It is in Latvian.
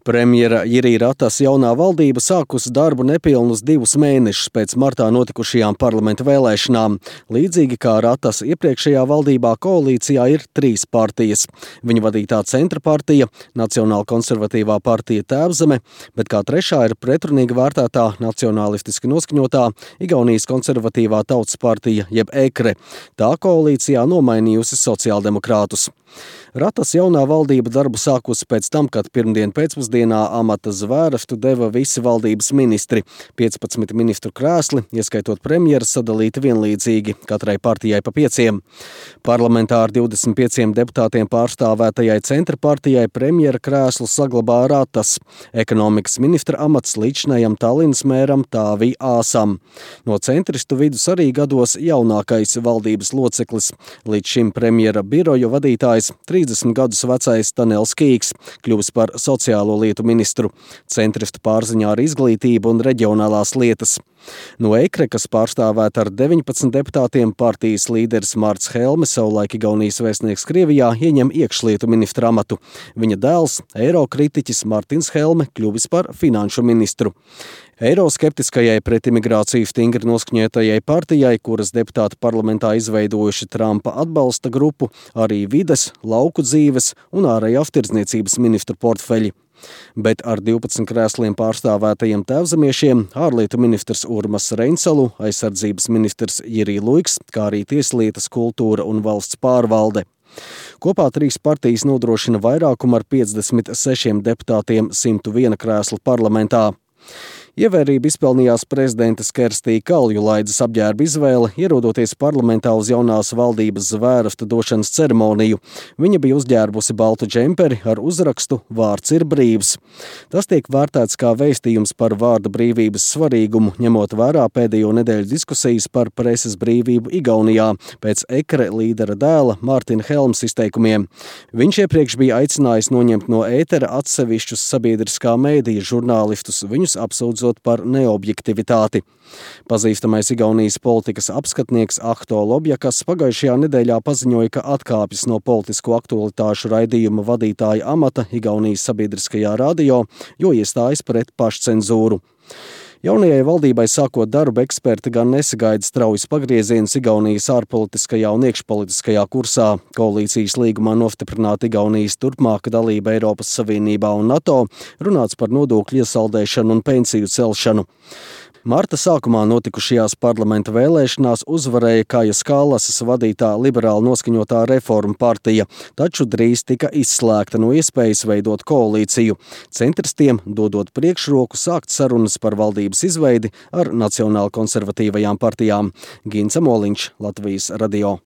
Premjera Jiri Ratas jaunā valdība sākusi darbu nepilnus 2 mēnešus pēc martā notikušajām parlamenta vēlēšanām. Līdzīgi kā Ratas iepriekšējā valdībā, koalīcijā ir 3 partijas. Viņa vadītā Centra partija, Nacionāla konservatīvā partija Tēvzeme, bet kā trešā ir pretrunīgi vērtētā nacionālistiski noskaņotā Igaunijas konservatīvā Tautas partija jeb EKRE. Tā koalīcijā nomainījusi sociāldemokrātus. Ratas jaunā valdība darbu sākusi pēc tam, kad pirmdien pēcpusdienā amata zvērstu deva visi valdības ministri. 15 ministru krēsli, ieskaitot premjera, sadalīti vienlīdzīgi, katrai partijai pa 5. Parlamentā ar 25 deputātiem pārstāvētajai Centra partijai premjera krēslu saglabā Ratas. Ekonomikas ministra amats līdzinājam Tallinas mēram Tāvī Āsam. No centristu vidus arī gados jaunākais valdības loceklis. Līdz šim premjera biroju vadītājs 30 gadus vecais Tanels Kīks kļuvis par sociālo lietu ministru. Centristu pārziņā ar izglītību un reģionālās lietas. No EKRE, kas pārstāvēta ar 19 deputātiem, partijas līderis Marts Helme, savulaik Igaunijas vēstnieks Krievijā, ieņem iekšlietu ministra amatu. Viņa dēls, eirokritiķis Martins Helme, kļuvis par finanšu ministru. Eiroskeptiskajai pret imigrāciju stingri noskaņotajai partijai, kuras deputāti parlamentā izveidojuši Trumpa atbalsta grupu, arī vides, lauku dzīves un ārējās tirdzniecības ministru portfeļi. Bet ar 12 krēsliem pārstāvētajiem tēvzemiešiem ārlietu ministrs Urmas Reinsalu, aizsardzības ministrs Jiri Luiks, kā arī tieslietas, kultūra un valsts pārvalde. Kopā 3 partijas nodrošina vairākumu ar 56 deputātiem 101 krēslu parlamentā. Ievērību izpelnījās prezidentas Kerstī Kaljulaides apģērba izvēle, ierodoties parlamentā uz jaunās valdības zvērstu došanas ceremoniju. Viņa bija uzģērbusi baltu džemperi ar uzrakstu "Vārds ir brīvs". Tas tiek vērtēts kā vēstījums par vārda brīvības svarīgumu, ņemot vērā pēdējo nedēļu diskusijas par preses brīvību Igaunijā pēc EKRE līdera dēla Martina Helmes izteikumiem. Viņš iepriekš bija aicinājis noņemt no ētera atsevišķus sabiedriskā mēdīja žurnālistus, viņus apsūdzot par neobjektivitāti. Pazīstamais Igaunijas politikas apskatnieks Ahto Lobjakas pagājušajā nedēļā paziņoja, ka atkāpjas no politisko aktualitāšu raidījuma vadītāja amata Igaunijas sabiedriskajā radio, jo iestājas pret pašcenzūru. Jaunajai valdībai sākot darbu, eksperti gan nesagaida straujas pagriezienus Igaunijas ārpolitiskajā un iekšpolitiskajā kursā. Koalīcijas līgumā nostiprināta Igaunijas turpmāka dalība Eiropas Savienībā un NATO, runāts par nodokļu iesaldēšanu un pensiju celšanu. Marta sākumā notikušajās parlamenta vēlēšanās uzvarēja Kajas Kallasas vadītā liberāli noskaņotā Reformu partija, taču drīz tika izslēgta no iespējas veidot koalīciju. Centristiem dodot priekšroku sākt sarunas par valdības izveidi ar nacionāli konservatīvajām partijām. Gints Amoliņš, Latvijas radio.